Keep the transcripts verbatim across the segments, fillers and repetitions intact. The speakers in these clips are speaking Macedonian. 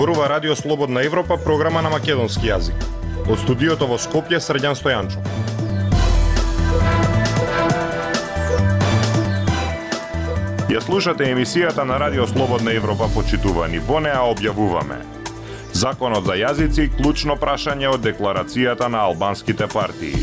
зборува Радио Слободна Европа, програма на македонски јазик. Од студиото во Скопје, Срđan Стојанчов. Ја слушате емисијата на Радио Слободна Европа, почитувани. Во неа објавуваме: Законот за јазици, клучно прашање од декларацијата на албанските партии.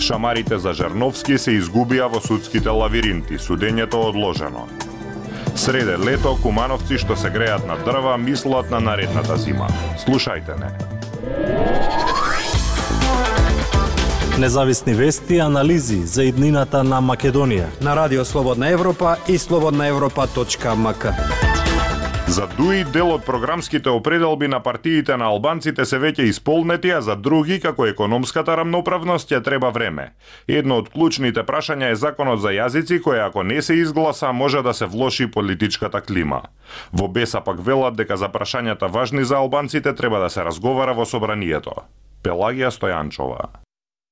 Шамарите за Жерновски се изгубија во судските лавиринти, судењето одложено. Среде лето, кумановци што се греат на дрва мислат на наредната зима. Слушајте не. Независни вести и анализи за иднината на Македонија на Радио Слободна Европа и слободна европа точка ем ка. За дуи дел од програмските определби на партиите на албанците се веќе исполнети, а за други, како економската рамноправност, ја треба време. Едно од клучните прашања е законот за јазици, кој ако не се изгласа, може да се влоши политичката клима. Во Беса пак велат дека за прашањата важни за албанците треба да се разговара во собранието. Пелагија Стојанчова.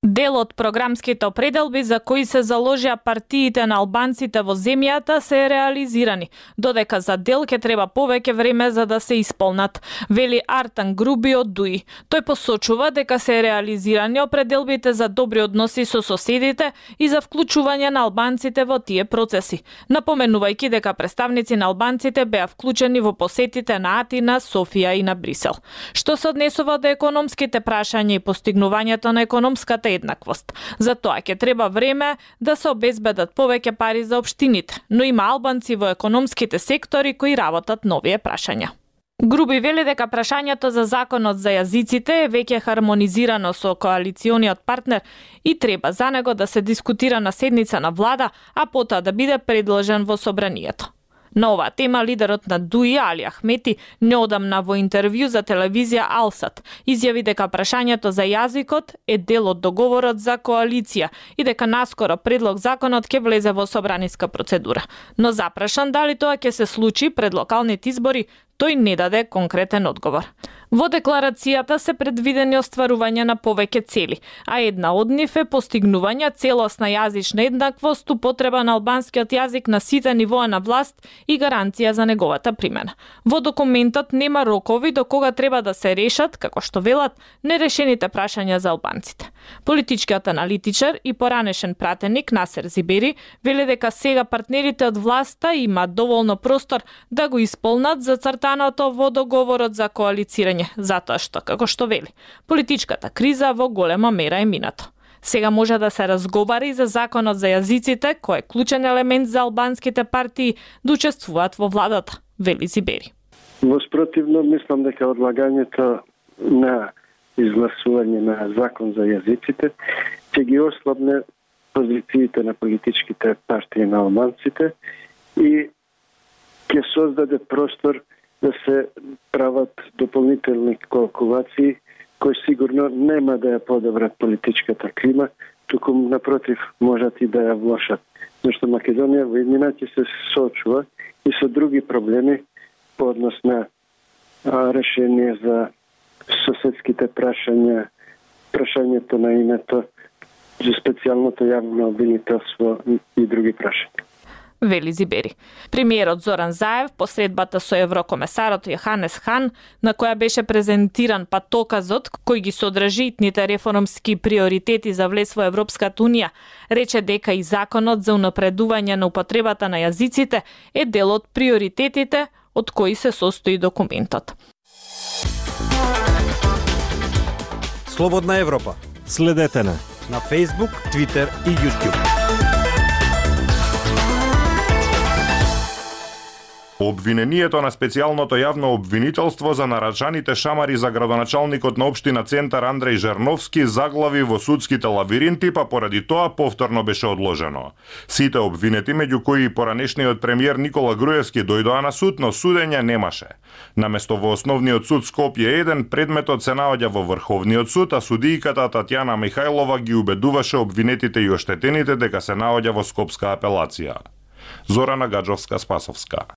Дел од програмските определби за кои се заложија партиите на албанците во земјата се реализирани, додека за дел ќе треба повеќе време за да се исполнат, вели Артан Груби од Дуи. Тој посочува дека се реализирани определбите за добри односи со соседите и за вклучување на албанците во тие процеси, напоменувајќи дека представници на албанците беа вклучени во посетите на Атина, Софија и на Брисел. Што се однесува до економските прашања и постигнувањето на економската еднаквост. За тоа ќе треба време да се обезбедат повеќе пари за општините, но има албанци во економските сектори кои работат на овие прашања. Груби вели дека прашањето за законот за јазиците е веќе хармонизирано со коалициониот партнер и треба за него да се дискутира на седница на влада, а потоа да биде предложен во собранието. На оваа тема лидерот на Дуи Али Ахмети неодамна во интервју за телевизија Алсат изјави дека прашањето за јазикот е дел од договорот за коалиција и дека наскоро предлог законот ќе влезе во собраниска процедура. Но запрашан дали тоа ќе се случи пред локалните избори, тој не даде конкретен одговор. Во декларацијата се предвидени остварување на повеќе цели, а една од нив е постигнување целосна јазична еднаквост, употреба на албанскиот јазик на сите нивоа на власт и гаранција за неговата примена. Во документот нема рокови до кога треба да се решат, како што велат, нерешените прашања за албанците. Политичкиот аналитичар и поранешен пратеник Насер Зибери вели дека сега партнерите од власта имаат доволно простор да го исполнат зацртаното во договорот за коалицирање, затоа што, како што вели, политичката криза во голема мера е минато. Сега може да се разговари за законот за јазиците, кој е клучен елемент за албанските партии да учествуваат во владата, вели Зибери. Во спротивно, мислам дека одлагањето на изгласување на закон за јазиците ќе ги ослабне позициите на политичките партии на албанците и ќе создаде простор да се прават дополнителни калкулации кои сигурно нема да ја подобрат политичката клима, туку напротив можат и да ја влошат. Зашто Македонија во иднина ќе се соочува и со други проблеми по однос на а, решение за соседските прашања, прашањето на името, за специјалното јавно обвинителство и други прашања. Вели Зибери. Премиерот Зоран Заев, посредбата со еврокомесарот Јоханес Хан, на која беше презентиран патоказот кој ги содржи итните реформски приоритети за влез во Европската унија, рече дека и законот за унапредување на употребата на јазиците е дел од приоритетите од кои се состои документот. Слободна Европа. Следете на на Facebook, Twitter и YouTube. Обвинението на специјалното јавно обвинителство за нарачаните шамари за градоначалникот на општина Центар Андреј Жерновски заглави во судските лавиринти, па поради тоа повторно беше одложено. Сите обвинети, меѓу кои и поранешниот премиер Никола Груевски, дојдоа на суд, но судење немаше. Наместо во Основниот суд Скопје еден, предметот се наоѓа во Врховниот суд, а судијката Татјана Михајлова ги убедуваше обвинетите и оштетените дека се наоѓа во Скопска апелација. Зорана Гаджовска-Спасовска.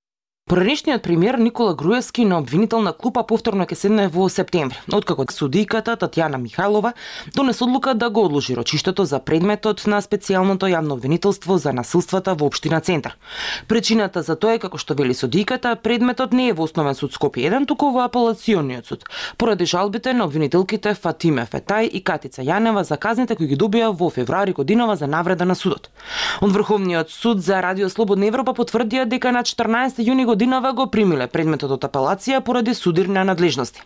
Поранешниот премиер Никола Груевски на обвинителна клупа повторно ќе седне во септември, откако судијката Татјана Михајлова донесе одлука да го одложи рочиштето за предметот на специјалното јавно обвинителство за насилствата во општина Центар. Причината за тоа е, како што вели судијката, предметот не е во Основен суд Скопје еден, туку во апелациониот суд, поради жалбите на обвинителките Фатиме Фетај и Катица Јанева за казните кои ги добија во февруари годинава за навреда на судот. Од Врховниот суд за Радио Слободна Европа потврдија дека на четрнаесети јуни годинава го примиле предметот од апелација поради судирни надлежности.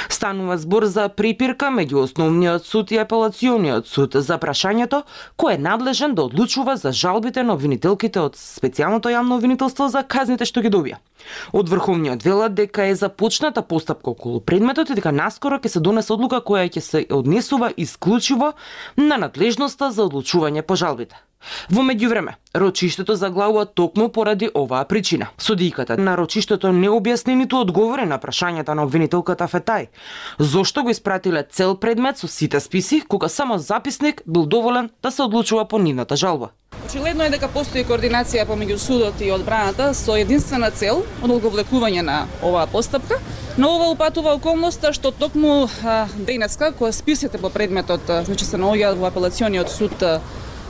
Станува збор за препирка меѓу Основниот суд и апелациониот суд за прашањето кој е надлежен да одлучува за жалбите на обвинителките од специјалното јавно обвинителство за казните што ги добија. Од Врховниот велат дека е започната постапка околу предметот и дека наскоро ќе се донесе одлука која ќе се однесува исклучиво на надлежноста за одлучување по жалбите. Во меѓувреме, рочиштето заглавува токму поради оваа причина. Судијката на рочиштето не објасни ниту одговори на прашањата на обвинителката Фетај. Зошто го испратиле цел предмет со сите списи, кога само записник бил доволен да се одлучува по нивната жалба? Очигледно е дека постои координација помеѓу судот и одбраната со единствена цел одолговлекување на оваа постапка, но ова упатува околноста што токму денеска, кога списите по предметот значи се наоѓаат во апелациониот суд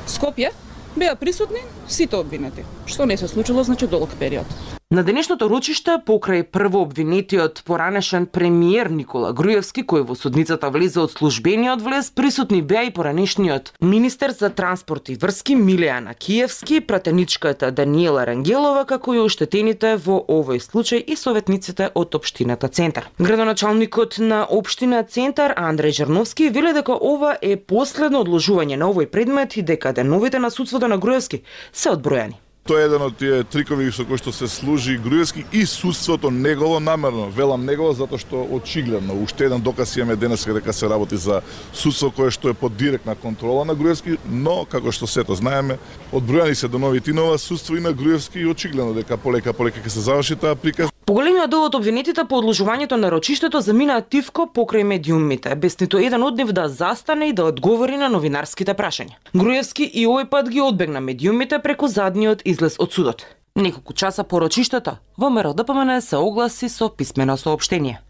Скопје, беа присутни сите обвинети, што не се случило значи долг период. На денешното рочиште покрај прво обвинетиот поранешен премиер Никола Груевски, кој во судницата влезе од службениот влез, присутни беа и поранешниот министер за транспорт и врски Милејана Киевски, пратеничката Даниела Рангелова, како и оштетените во овој случај и советниците од општината Центар. Градоначалникот на општина Центар Андреј Жерновски вели дека ова е последно одложување на овој предмет и дека деновите на судството на Груевски се одбројани. Тоа е еден од тие трикови со кои што се служи Груевски и судството негово намерно. Велам негово затоа што очигледно уште еден доказ имаме денеска дека се работи за судство кое што е под директна контрола на Груевски, но како што сето знаеме, одбројани се деновите нова судство и на Груевски и очигледно дека полека полека ќе се заврши таа приказ. Поголемиот дел од обвинетите по одложувањето на рочиштето заминаа тивко покрај медиумите, без ниту еден од нив да застане и да одговори на новинарските прашања. Груевски и овој пат ги одбегна медиумите преку задниот излез од судот. Неколку часа по рочиштето, ВМРО-ДПМН се огласи со писмено соопштение.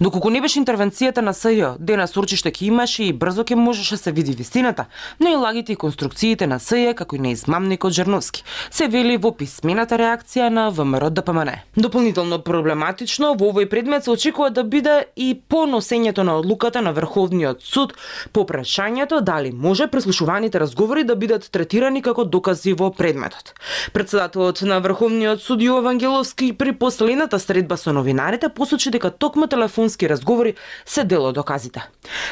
Доколку не беше интервенцијата на СЈ, денес рочиште ќе имаше и брзо ќе можеше се види вистината, но и лагите и конструкциите на СЈ, како и на измамникот Жерновски, се вели во писмената реакција на ВМРО-ДПМН. Дополнително проблематично во овој предмет се очекува да биде и поносењето на одлуката на Врховниот суд по прашањето дали може преслушуваните разговори да бидат третирани како докази во предметот. Председателот на Врховниот суд Јован Ангеловски при последната средба со новинарите посочи дека токму телефонски разговори се дел од доказите.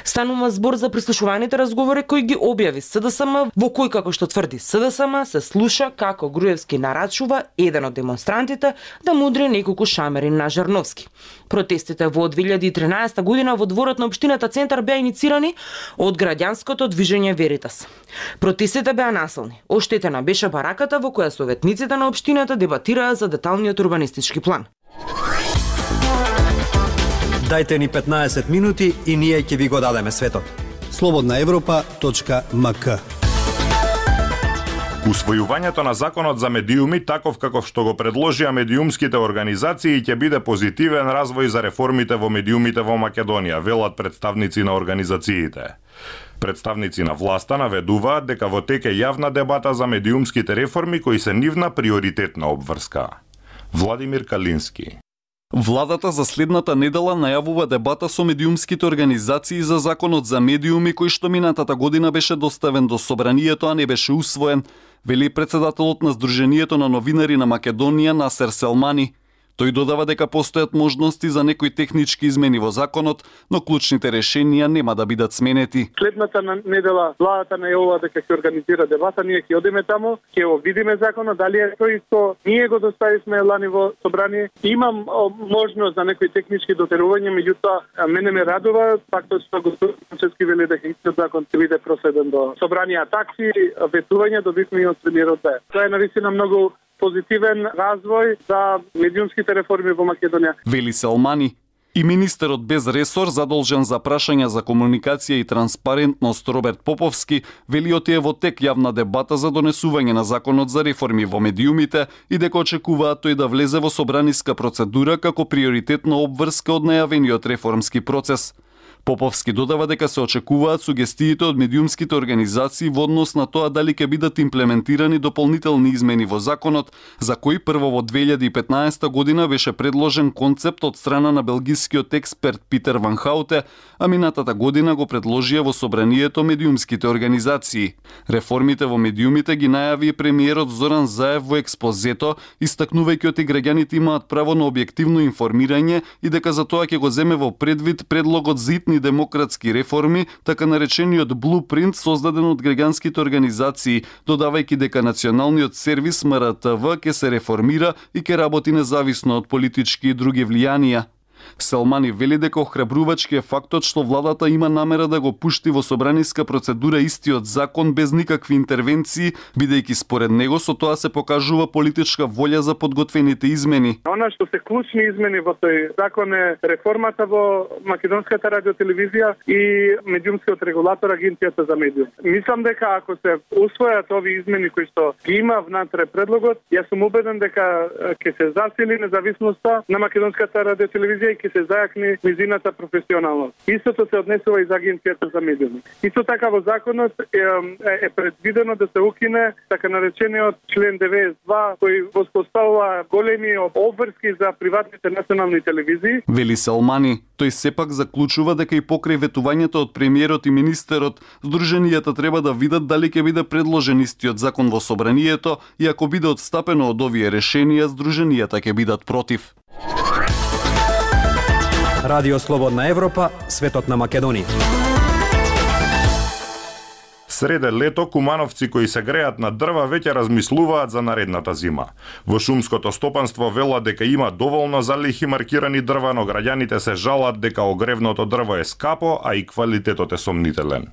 Станува збор за прислушуваните разговори кои ги објави СДСМ, во кој, како што тврди СДСМ, се слуша како Груевски нарачува еден од демонстрантите да му удри неколку шамери на Жерновски. Протестите во две илјади и тринаесета година во дворот на општината Центар беа иницирани од граѓанското движење Веритас. Протестите беа насилни. Оштетена беше бараката во која советниците на општината дебатираа за деталниот урбанистички план. Дајте ни петнаесет минути и ние ќе ви го дадеме светот. слободна европа точка ем ка. Усвојувањето на законот за медиуми, таков каков што го предложија медиумските организации, ќе биде позитивен развој за реформите во медиумите во Македонија, велат представници на организациите. Представници на власта наведуваат дека во тек е јавна дебата за медиумските реформи кои се нивна приоритетна обврска. Владимир Калински. Владата за следната недела најавува дебата со медиумските организации за законот за медиуми кој што минатата година беше доставен до собранието, а не беше усвоен, вели председателот на Сдруженијето на новинари на Македонија Насер Селмани. Тој додава дека постојат можности за некои технички измени во законот, но клучните решенија нема да бидат сменети. Следната недела владата најавува дека ќе организира дебата, ние ќе одиме таму, ќе го видиме законот, дали е тој што ние го доставивме лани во собрание. Имам о, можност за некои технички дотерувања, меѓутоа мене ме радува фактот што господин Чески вели дека истиот закон ќе биде проследен до собрание. Такси ветувања добивме и од премиерот. Тоа е навистина многу позитивен развој за медиумските реформи во Македонија. Вели Селмани. И министерот без ресор задолжен за прашања за комуникација и транспарентност Роберт Поповски вели отие во тек јавна дебата за донесување на законот за реформи во медиумите и дека очекуваат тој да влезе во собраниска процедура како приоритетна обврска од најавениот реформски процес. Поповски додава дека се очекуваат сугестиите од медиумските организации во однос на тоа дали ќе бидат имплементирани дополнителни измени во законот, за кои прво во две илјади и петнаесета година беше предложен концепт од страна на белгискиот експерт Питер Ван Хауте, а минатата година го предложија во собранието медиумските организации. Реформите во медиумите ги најави и премиерот Зоран Заев во експозето, истакнувајќи оти граѓаните имаат право на објективно информирање и дека за тоа ќе го земе во предвид предлогот за итни демократски реформи, така наречениот блупринт создаден од граѓанските организации, додавајќи дека националниот сервис М Р Т В ќе се реформира и ќе работи независно од политички и други влијанија. Селмани вели дека охрабрувачки е фактот што владата има намера да го пушти во собраниска процедура истиот закон без никакви интервенции, бидејќи според него со тоа се покажува политичка волја за подготвените измени. Она што се клучни измени во тој закон е реформата во македонската радиотелевизија и медиумскиот регулатор Агенцијата за медиум. Мислам дека ако се усвојат овие измени кои што ги има внатре предлогот, јас сум убеден дека ќе се засили независноста на македонската радиотелевизија и ќе се зајакни низината професионалност. Истото се однесува и за Агенцијата за медиуми. Исто така во законот е, е предвидено да се укине така наречениот член деветдесет и два кој воспоставува големи обврски за приватните национални телевизии. Вели Салмани, тој сепак заклучува дека и покрај ветувањето од премиерот и министерот, здруженијата треба да видат дали ќе биде предложен истиот закон во собранието и ако биде отстапено од овие решенија, здруженијата ќе бидат против. Радио Слободна Европа, светот на Македонија. Среде лето, кумановци кои се греат на дрва веќе размислуваат за наредната зима. Во шумското стопанство велат дека има доволно залихи маркирани дрва, но граѓаните се жалат дека огревното дрво е скапо, а и квалитетот е сомнителен.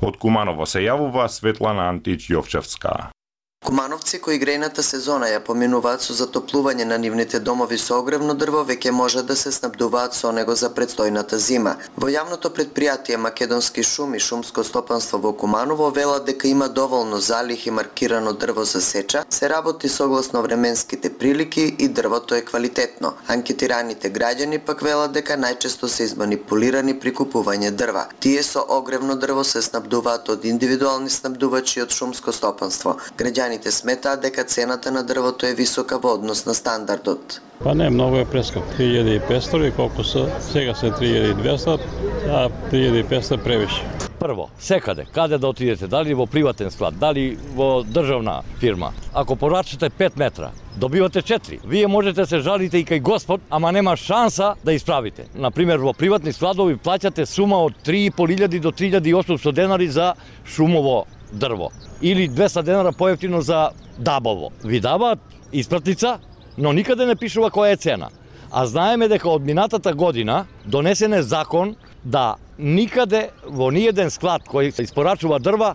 Од Куманово се јавува Светлана Антич-Јовчевска. Кумановци кои грејната сезона ја поминуваат со затоплување на нивните домови со огревно дрво веќе може да се снабдуваат со него за предстојната зима. Во јавното предпријатие Македонски шум и шумско стопанство во Куманово велат дека има доволно залих и маркирано дрво за сеча, се работи согласно временските прилики и дрвото е квалитетно. Анкетираните граѓани пак велат дека најчесто се изманипулирани при купување дрва. Тие со огревно дрво се снабдуваат од индивидуални снабдувачи од шумско стопанство. Граѓаните сметаат дека цената на дрвото е висока во однос на стандардот. Па не, многу е прескап. три илјади и петстотини и колку се, сега се три илјади и двесте, а три илјади и петстотини превише. Прво, секаде, каде да отидете, дали во приватен склад, дали во државна фирма. Ако порачате пет метра, добивате четири. Вие можете се жалите и кај Господ, ама нема шанса да исправите. Например, во приватни складови плаќате сума од три и по илјади до три илјади и осумстотини денари за шумово дрво или двесте денара поевтино за дабово. Ви даваат испратница, но никаде не пишува која е цена. А знаеме дека од минатата година донесен е закон да никаде во ниеден склад кој се испорачува дрва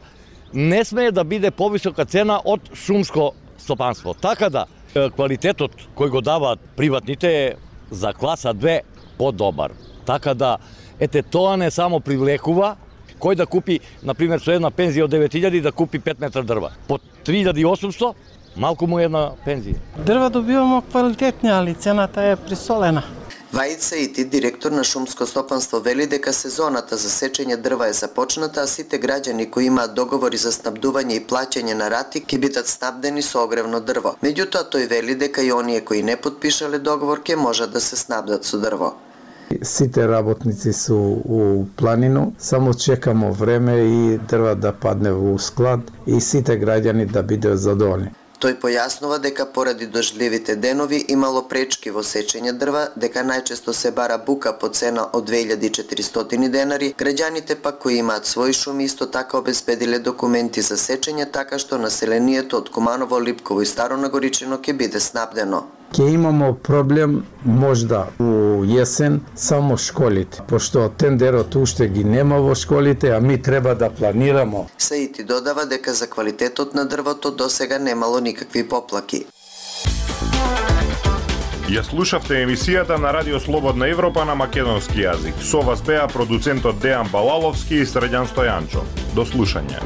не смее да биде повисока цена од шумско стопанство. Така да квалитетот кој го даваат приватните е за класа две подобар. Така да ете тоа не само привлекува кој да купи, например, со една пензија од девет илјади да купи пет метра дрва. По три илјади и осумстотини, малку му е една пензија. Дрва добиваме квалитетни, али цената е присолена. Вајца Ити, директор на шумско стопанство, вели дека сезоната за сечење дрва е започната, а сите граѓани кои имаат договори за снабдување и плаќање на рати ќе бидат снабдени со огревно дрво. Меѓутоа тој вели дека и оние кои не потпишале договор ќе можат да се снабдат со дрво. Сите работници су у планино, само чекамо време и дрва да падне во склад и сите граѓани да бидат задоволни. Тој појаснува дека поради дождливите денови имало пречки во сечење дрва, дека најчесто се бара бука по цена од две илјади и четиристотини денари, граѓаните пак кои имаат своји шуми исто така обезбедиле документи за сечење, така што населението од Куманово, Липково и Старо Нагоричино ќе биде снабдено. Ке имамо проблем можда у јесен само школите, пошто тендерот уште ги нема во школите, а ми треба да планирамо. Саити додава дека за квалитетот на дрвото досега немало никакви поплаки. Ја слушавте емисијата на Радио Слободна Европа на македонски јазик. Со вас беа продуцентот Дејан Балаловски и Средјан Стојанчо. До слушање.